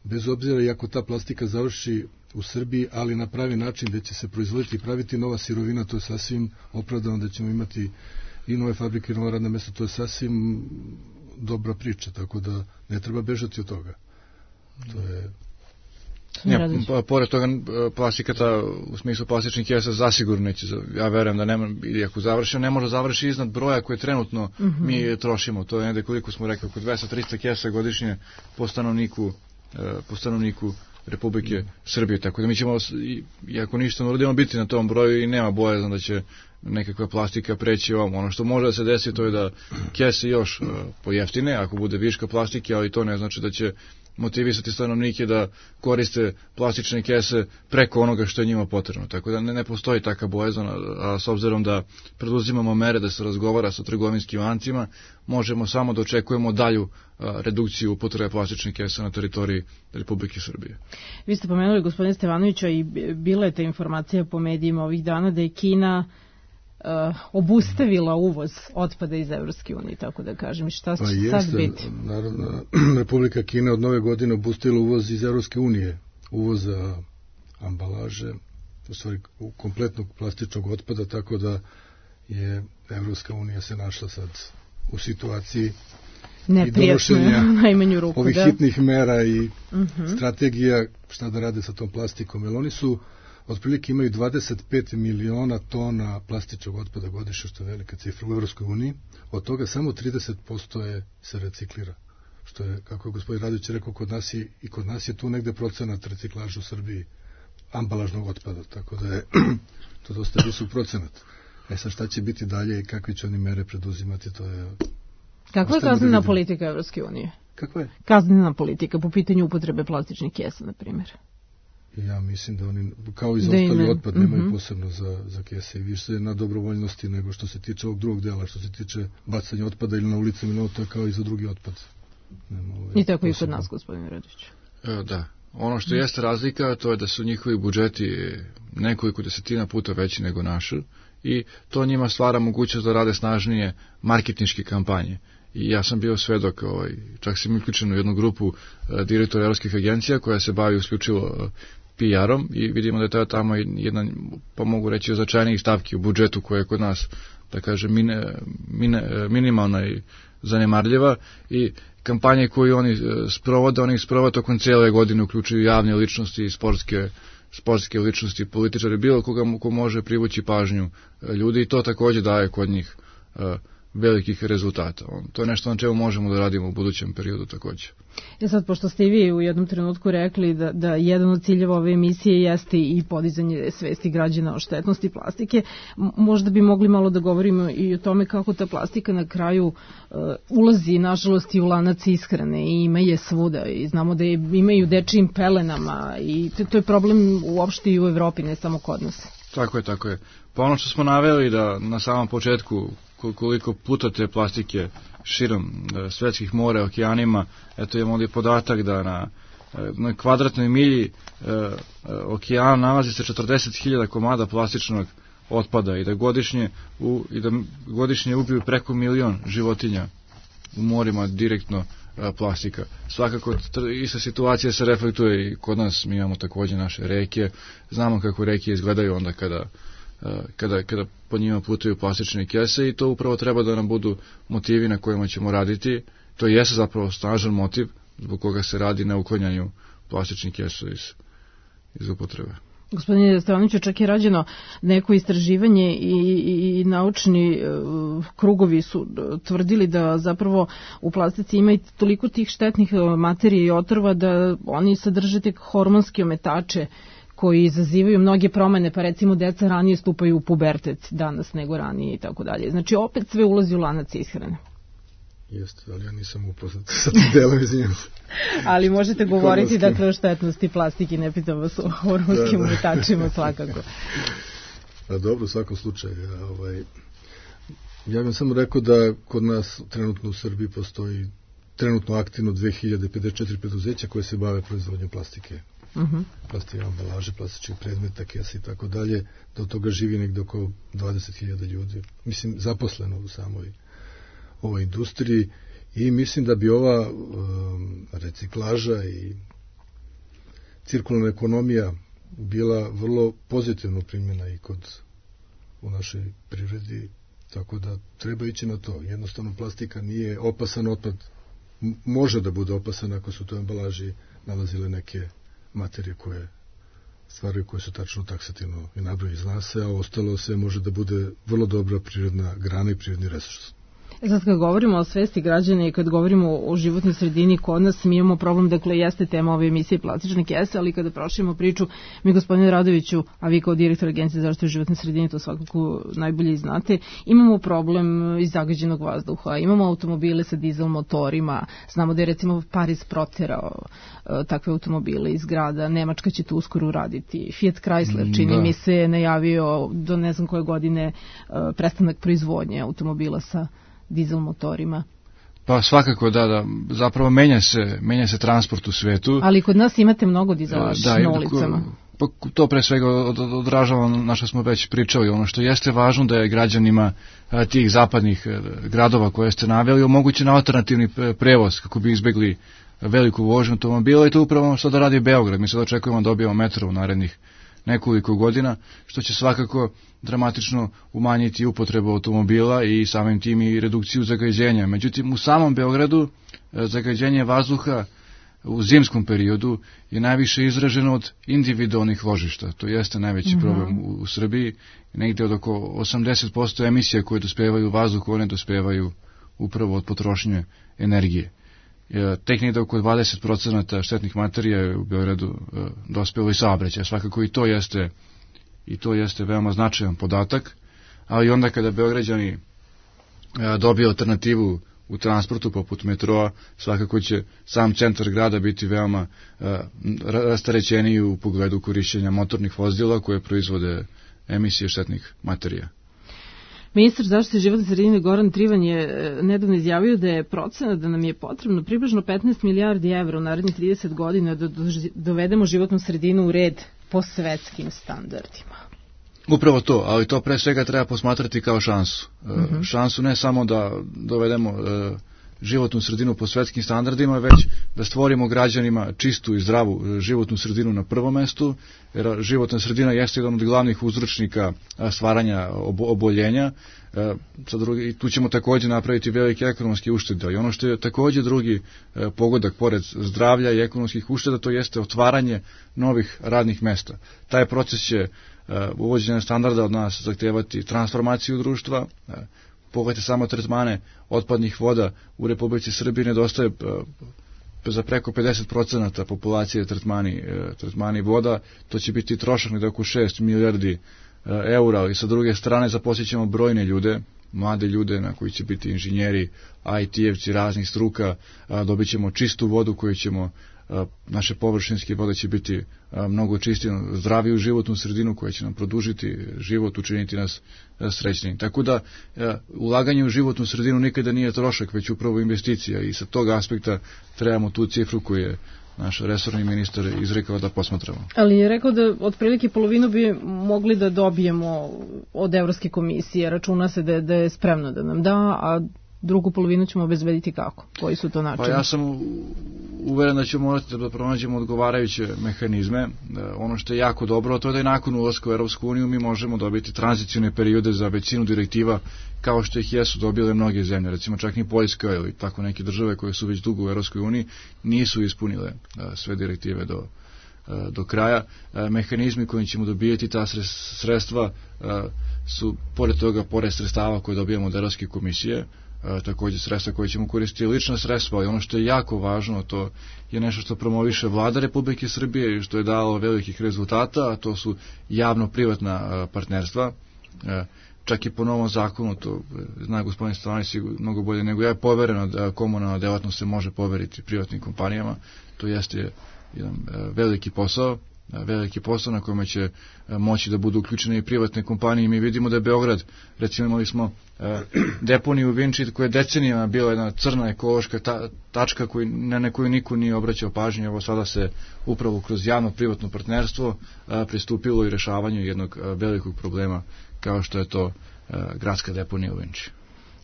Bez obzira i ako ta plastika završi u Srbiji, ali na pravi način gde će se proizvoditi i praviti nova sirovina, to je sasvim opravdano, da ćemo imati i nove fabrike i nova radna mesta, to je sasvim dobra priča, tako da ne treba bežati od toga. To je... Pored toga, plastika u smislu plastičnih kesa zasigurno neće, ja verujem da nema, i ako završi, ne može završi iznad broja koje trenutno mi trošimo. To je negde, koliko smo rekli, oko 200-300 kesa godišnje po stanovniku Republike Srbije. Tako da mi ćemo, iako ništa ne uradimo, biti na tom broju i nema bojazan da će nekakva plastika preći ovom. Ono što može da se desi, to je da kese još pojeftine, ako bude viška plastike, ali to ne znači da će motivisati stanovnike da koriste plastične kese preko onoga što je njima potrebno. Tako da ne postoji taka bojazan, a s obzirom da preduzimamo mere da se razgovara sa trgovinskim lancima, možemo samo da očekujemo dalju redukciju upotrebe plastičnih kesa na teritoriji Republike Srbije. Vi ste pomenuli, gospodine Stevanovića, i bila je ta informacija po medijima ovih dana da je Kina obustavila uvoz otpada iz Evropske unije, tako da kažem. Šta će sad biti? Naravno, Republika Kina od nove godine obustavila uvoz iz Evropske unije, uvoza ambalaže, u stvari kompletnog plastičnog otpada, tako da je Evropska unija se našla sad u situaciji i donošenja ovih hitnih mera i strategija šta da rade sa tom plastikom, jer oni su otprilike imaju 25 miliona tona plastičnog otpada godišnje, što je velika cifra u Evropskoj uniji. Od toga samo 30% se reciklira. Što je, kako je gospodin Radović rekao, kod nas je tu negde procenat reciklaža u Srbiji ambalažnog otpada, tako da je to dosta visok procenat. Sad šta će biti dalje i kakve će oni mere preduzimati, to je... Kakva je kaznena politika Evropske unije? Kakva je? Kaznena politika po pitanju upotrebe plastičnih kesa, na primjer. Ja mislim da oni, kao i za ostali otpad, nemaju posebno za kese i više na dobrovoljnosti nego što se tiče ovog drugog dela, što se tiče bacanja otpada ili na ulicama, ili to je kao i za drugi otpad. I tako i kod nas, gospodine Radić. Da. Ono što jeste razlika, to je da su njihovi budžeti nekoliko desetina puta veći nego naši i to njima stvara mogućnost da rade snažnije marketinške kampanje. I ja sam bio svedok, čak sam uključen u jednu grupu direktora evropskih agencija koja se bavi isključivo PR-om i vidimo da je to tamo jedan, pa mogu reći, od značajnijih stavki u budžetu koja je kod nas, da kažem, minimalna i zanemarljiva i kampanje koje oni sprovode tokom cijele godine, uključuju javne ličnosti i sportske ličnosti, političari, bilo koga ko može privući pažnju ljudi i to također daje kod njih velikih rezultata. To je nešto na čemu možemo da radimo u budućem periodu također. Sad, pošto ste i vi u jednom trenutku rekli da jedan od ciljeva ove emisije jeste i podizanje svesti građana o štetnosti plastike, možda bi mogli malo da govorimo i o tome kako ta plastika na kraju ulazi, nažalost, i u lanac ishrane i ima je svuda i znamo da imaju dečijim pelenama i to je problem uopšte i u Evropi, ne samo kod nas. Tako je. Pa ono što smo naveli da na samom početku koliko puta te plastike širom svetskih mora, okeanima, eto imamo ovdje podatak da na kvadratnoj milji okeana nalazi se 40.000 komada plastičnog otpada i da godišnje ubiju preko 1 milion životinja u morima direktno plastika. Svakako ista situacija se reflektuje i kod nas, mi imamo također naše reke, znamo kako reke izgledaju onda kada po njima putuju plastične kese i to upravo treba da nam budu motivi na kojima ćemo raditi. To jeste zapravo snažan motiv zbog koga se radi na uklanjanju plastičnih kesa iz upotrebe. Gospodine Stevanoviću, čak je rađeno neko istraživanje i naučni krugovi su tvrdili da zapravo u plastici ima i toliko tih štetnih materija i otrova da oni sadrže tek hormonske ometače koji izazivaju mnoge promene, pa recimo deca ranije stupaju u pubertet danas nego ranije i tako dalje. Znači opet sve ulazi u lanac ishrane. Jeste, ali ja nisam upoznat sa tim delom, izvinjam se. Ali možete govoriti dakle o štetnosti plastike, ne pitam vas o hormonskim ometačima svakako. Dobro, u svakom slučaju. Ja bih samo rekao da kod nas trenutno u Srbiji postoji trenutno aktivno 2054 preduzeća koje se bave proizvodnjom plastike. plastika ambalaže, plastičnih predmeta, kesa i tako dalje, da od toga živi negde oko 20.000 ljudi. Mislim, zaposleno u samoj ovoj industriji i mislim da bi ova reciklaža i cirkularna ekonomija bila vrlo pozitivno primjena i u našoj privredi, tako da treba ići na to. Jednostavno plastika nije opasan otpad, može da bude opasan ako su to ambalaži nalazile neke materije stvari koje su tačno taksativno i nabroji zna se, a ostalo sve može da bude vrlo dobra prirodna grana i prirodni resurs. Sad kad govorimo o svesti građana i kad govorimo o životnoj sredini kod nas, mi imamo problem, dakle jeste tema ove emisije plastične kese, ali kada proširimo priču, mi gospodine Radoviću, a vi kao direktor Agencije za zaštitu životne sredine to svakako najbolje znate, imamo problem iz zagađenog vazduha, imamo automobile sa dizel motorima, znamo da je recimo Pariz proterao takve automobile iz grada, Nemačka će to uskoro uraditi, Fiat Chrysler čini mi se najavio do ne znam koje godine prestanak proizvodnje automobila sa dizel motorima. Pa svakako da, zapravo menja se transport u svetu. Ali kod nas imate mnogo dizelaša na ulicama. Pa to pre svega odražava na što smo već pričali. Ono što jeste važno da je građanima tih zapadnih gradova koje ste naveli omogućen alternativni prevoz kako bi izbegli veliku vožnju automobila i to upravo što da radi Beograd. Mi sad očekujemo da dobijemo metro u narednih nekoliko godina, što će svakako dramatično umanjiti upotrebu automobila i samim tim i redukciju zagađenja. Međutim, u samom Beogradu zagađenje vazduha u zimskom periodu je najviše izraženo od individualnih ložišta. To jeste najveći problem u Srbiji. Negde od oko 80% emisija koje dospevaju u vazduhu, one dospevaju upravo od potrošnje energije. Tek negde oko 20% štetnih materija je u Beogradu dospelo iz saobraćaja. Svakako i to jeste veoma značajan podatak, ali onda kada Beograđani dobiju alternativu u transportu poput metroa, svakako će sam centar grada biti veoma rasterećeniji u pogledu korišćenja motornih vozila koje proizvode emisije štetnih materija. Ministar zaštite životne sredine Goran Trivan je nedavno izjavio da je procena da nam je potrebno približno 15 milijardi evra u narednih 30 godina da dovedemo životnu sredinu u red po svetskim standardima. Upravo to, ali to pre svega treba posmatrati kao šansu. Šansu ne samo da dovedemo životnu sredinu po svetskim standardima, već da stvorimo građanima čistu i zdravu životnu sredinu na prvom mestu, jer životna sredina jeste jedan od glavnih uzročnika stvaranja oboljenja. I tu ćemo također napraviti velike ekonomske uštede. I ono što je također drugi pogodak pored zdravlja i ekonomskih ušteda, to jeste otvaranje novih radnih mesta. Taj proces će uvođenje standarda od nas zahtevati transformaciju društva. Pogledajte samo tretmane otpadnih voda u Republici Srbiji nedostaje za preko 50% populacije tretmani voda, to će biti trošak na oko 6 milijardi eura, ali sa druge strane zaposlit ćemo brojne ljude, mlade ljude na koji će biti inženjeri, IT-evci raznih struka, dobit ćemo čistu vodu koju ćemo, naše površinske vode će biti mnogo čistije, zdraviju životnu sredinu koja će nam produžiti život, učiniti nas srećnim. Tako da ulaganje u životnu sredinu nikada nije trošak, već upravo investicija i sa tog aspekta trebamo tu cifru koju je naš resorni ministar izrekao da posmatramo. Ali je rekao da otprilike polovinu bi mogli da dobijemo od Evropske komisije, računa se da je spremno da nam da, a drugu polovinu ćemo obezbediti kako? Koji su to načini? Pa ja sam uveren da ćemo morati da pronađemo odgovarajuće mehanizme. Ono što je jako dobro, to je da je nakon ulaska u Evropsku uniju mi možemo dobiti tranzicijne periode za većinu direktiva kao što ih jesu dobile mnoge zemlje. Recimo čak ni Poljska ili tako neke države koje su već dugo u Evropskoj uniji nisu ispunile sve direktive do kraja. Mehanizmi kojim ćemo dobijeti ta sredstva su pored toga, pored sredstava koje dobijamo od Evropske komisije, također sredstva koje ćemo koristiti lična sredstva, ali ono što je jako važno, to je nešto što promoviše vlada Republike Srbije i što je dalo velikih rezultata, a to su javno-privatna partnerstva. Čak i po novom zakonu, to zna gospodin Stevanović mnogo bolje nego ja, je povereno da komunalna delatnost se može poveriti privatnim kompanijama. To jeste jedan veliki posao veliki posao na kome će moći da budu uključene i privatne kompanije. Mi vidimo da je Beograd, recimo imali smo deponiju u Vinči koja je decenijama bila jedna crna ekološka tačka na koju niko nije obraćao pažnju. Evo sada se upravo kroz javno-privatno partnerstvo pristupilo i rešavanju jednog velikog problema kao što je to gradska deponija u Vinči.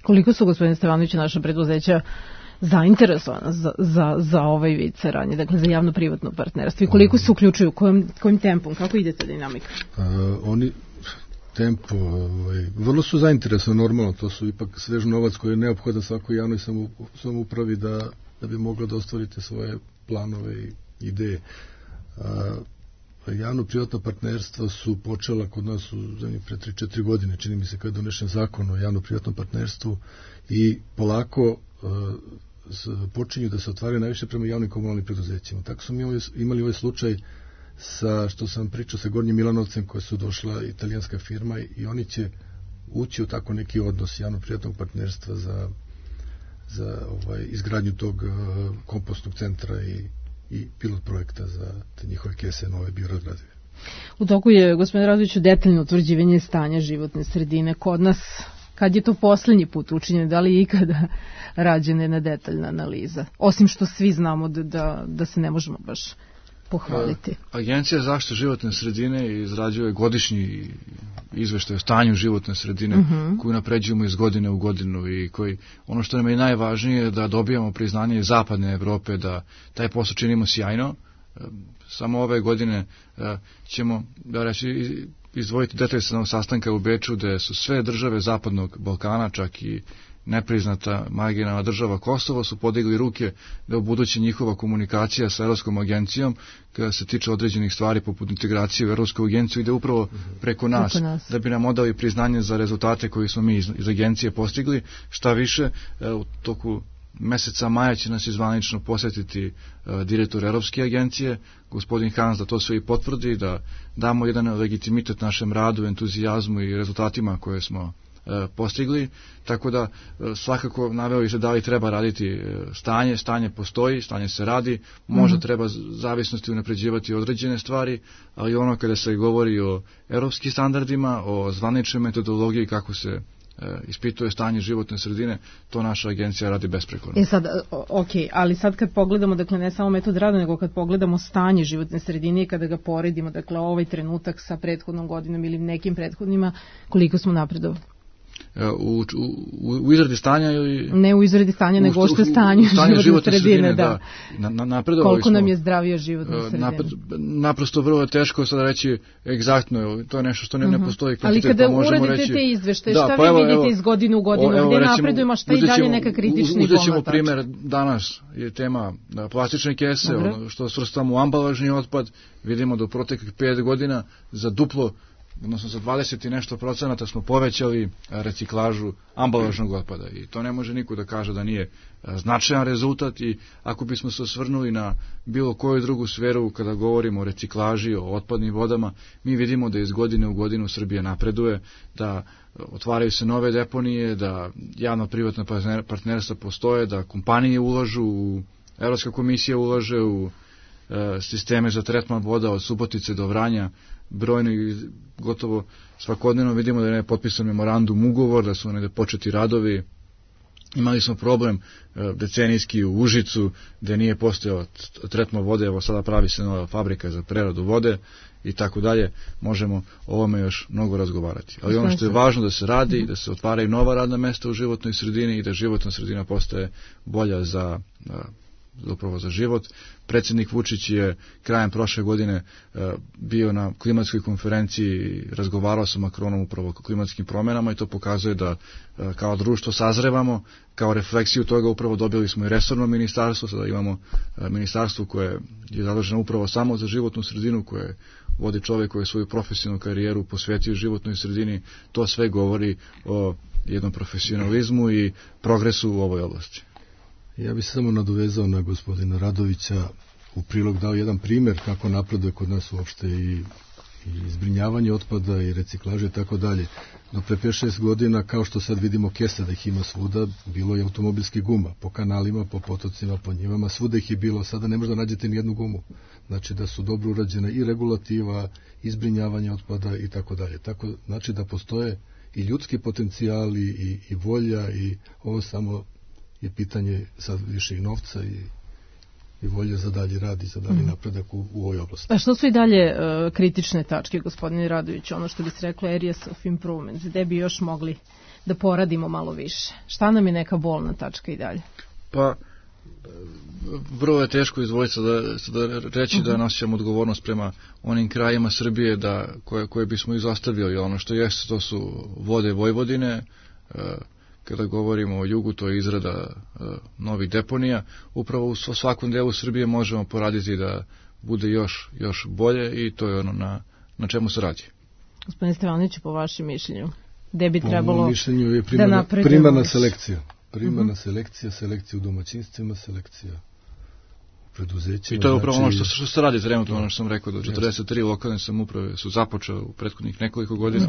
Koliko su, gospodine Stevanoviću, naša preduzeća zainteresovana za ovaj vid saradnje, dakle za javno-privatno partnerstvo, i koliko se uključuju, kojim tempom, kako ide ta dinamika? Oni tempo, vrlo su zainteresovani, normalno, to su ipak svež novac koji je neophodan svakoj javnoj samoupravi da bi mogla da ostvarite svoje planove i ideje. Javno-privatno partnerstva su počela kod nas u zemlji pre 3-4 godine, čini mi se kada je donešen zakon o javno-privatnom partnerstvu, i polako počinju da se otvaraju najviše prema javnim komunalnim preduzećima. Tako smo imali ovaj slučaj što sam pričao sa Gornjim Milanovcem, koja su došla italijanska firma, i oni će ući u tako neki odnos javno-privatnog partnerstva za izgradnju tog kompostnog centra i pilot projekta za te njihove kese nove biorazgradive. U toku je, gospodine Radoviću, detaljno utvrđivanje stanja životne sredine kod nas. Kad je to poslednji put učinjeno, da li je ikada rađena jedna detaljna analiza? Osim što svi znamo da se ne možemo baš pohvaliti. Agencija za zaštitu životne sredine izrađuje godišnji izveštaj o stanju životne sredine koju napređujemo iz godine u godinu, i ono što nam je najvažnije je da dobijamo priznanje iz zapadne Evrope da taj posao činimo sjajno. Samo ove godine ćemo, da reći, izdvojiti detalj sa sastanka u Beču, gde su sve države Zapadnog Balkana, čak i nepriznata marginalna država Kosovo, su podigli ruke da u buduće njihova komunikacija sa Evropskom agencijom, kada se tiče određenih stvari poput integracije u Evropsku agenciju, ide upravo preko nas, da bi nam odali priznanje za rezultate koje smo mi iz agencije postigli. Šta više, u toku meseca maja će nas izvanično posjetiti direktor Evropske agencije, gospodin Hans, da to sve i potvrdi, da damo jedan legitimitet našem radu, entuzijazmu i rezultatima koje smo postigli. Tako da svakako naveo se da li treba raditi stanje postoji, stanje se radi, možda treba zavisnosti unapređivati određene stvari, ali ono kada se govori o evropskim standardima, o zvaničnoj metodologiji kako se ispituje stanje životne sredine, to naša agencija radi besprekorno. Sad, ali sad kad pogledamo, dakle ne samo metod rada, nego kad pogledamo stanje životne sredine i kada ga poredimo, dakle ovaj trenutak sa prethodnom godinom ili nekim prethodnima, koliko smo napredovali? U izradi stanja ili... Ne u izradi stanja, nego što je stanje životne sredine, da. Koliko nam je zdravija životna sredina? Naprosto vrlo je teško sada reći egzaktno, to je nešto što ne postoji. Ali kada uradite te izveštaje, šta vi vidite iz godine u godinu, gde napredujemo, šta i dalje neka kritični pomatač? Uzet ćemo primer, danas je tema plastične kese, što svrstamo u ambalažni otpad, vidimo da u proteklih 5 godina za duplo, odnosno za 20 i nešto procenata smo povećali reciklažu ambalažnog otpada, i to ne može niko da kaže da nije značajan rezultat. I ako bismo se osvrnuli na bilo koju drugu sferu kada govorimo o reciklaži, o otpadnim vodama, mi vidimo da iz godine u godinu Srbija napreduje, da otvaraju se nove deponije, da javno-privatna partnerstva postoje, da kompanije ulažu, Evropska komisija ulaže u sisteme za tretman voda od Subotice do Vranja, brojno i gotovo svakodnevno vidimo da je potpisan memorandum, ugovor, da su negde početi radovi. Imali smo problem decenijski u Užicu, gde nije postojao tretman vode, evo sada pravi se nova fabrika za preradu vode i tako dalje. Možemo o ovome još mnogo razgovarati. Ali ono što je važno da se radi, da se otvaraju nova radna mesta u životnoj sredini i da životna sredina postaje bolja upravo za život. Predsjednik Vučić je krajem prošle godine bio na klimatskoj konferenciji i razgovarao sa Makronom upravo o klimatskim promjenama, i to pokazuje da kao društvo sazrevamo. Kao refleksiju toga upravo dobili smo i resorno ministarstvo, sada imamo ministarstvo koje je zaduženo upravo samo za životnu sredinu, koje vodi čovjek koji je svoju profesionalnu karijeru posvetio životnoj sredini. To sve govori o jednom profesionalizmu i progresu u ovoj oblasti. Ja bih se samo nadovezao na gospodina Radovića, u prilog dao jedan primjer kako napreduje kod nas uopšte i i zbrinjavanje otpada i reciklaže i tako dalje. Do pre 5-6 godina, kao što sad vidimo kesa da ih ima svuda, bilo je automobilski guma, po kanalima, po potocima, po njivama, svuda ih je bilo, sada ne možda nađete ni jednu gumu. Znači da su dobro urađena i regulativa, i zbrinjavanje otpada i tako dalje. Tako, znači da postoje i ljudski potencijali i volja i ovo samo je pitanje sad više i novca i volje za dalji rad i za dalji napredak u ovoj oblasti. A što su i dalje kritične tačke, gospodine Radović, ono što bi se reklo areas of improvement, gde bi još mogli da poradimo malo više? Šta nam je neka bolna tačka i dalje? Pa, vrlo je teško izdvojiti da reći da nosimo odgovornost prema onim krajima Srbije koje bismo izostavili. Ono što jeste, to su vode Vojvodine. Kada govorimo o jugu, to je izrada novih deponija. Upravo u svakom delu Srbije možemo poraditi da bude još bolje i to je ono na čemu se radi. Gospodine Stevanoviću, po vašem mišljenju, gde bi trebalo po mom mišljenju je da napredujemo? Primarna selekcija. Primarna selekcija u domaćinstvima, selekcija u preduzećima. I to je upravo ono što se radi trenutno, ono što sam rekao, da 43 lokalne samouprave su započele u prethodnih nekoliko godina,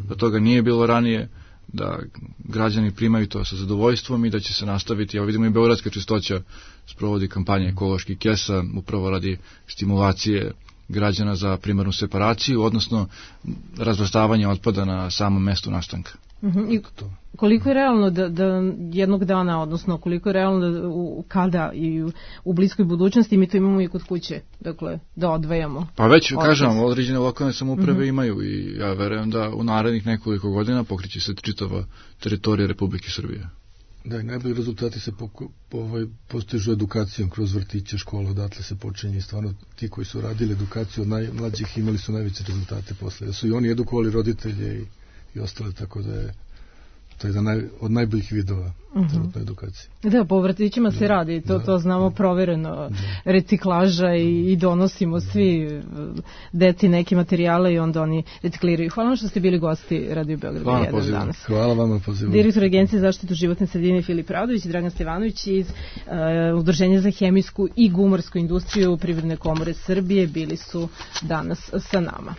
da toga nije bilo ranije, da građani primaju to sa zadovoljstvom i da će se nastaviti. Evo vidimo i Beogradska čistoća sprovodi kampanje ekoloških kesa, upravo radi stimulacije građana za primarnu separaciju, odnosno razvrstavanje otpada na samom mestu nastanka. I koliko je realno da jednog dana, odnosno koliko je realno kada i u bliskoj budućnosti mi to imamo i kod kuće, dakle da odvajamo? Pa već kažem, određene lokalne samouprave imaju i ja verujem da u narednih nekoliko godina pokriće se čitava teritorija Republike Srbije. Da, i najbolji rezultati se postižu edukacijom kroz vrtiće, škole, odatle se počinje i stvarno ti koji su radili edukaciju od najmlađih imali su najveće rezultate posle. Da su i oni edukovali roditelje i ostale, tako da je to jedan od najboljih vidova trenutne edukacije. Da, po vrtićima se radi, to znamo provereno, reciklaža i donosimo svi deci neke materijale i onda oni recikliraju. Hvala vam što ste bili gosti Radio Beograda 1 danas. Hvala vam na pozivu. Direktor Agencije za zaštitu životne sredine Filip Radović i Dragan Stevanović iz Udruženja za hemijsku i gumarsku industriju Privredne komore Srbije bili su danas sa nama.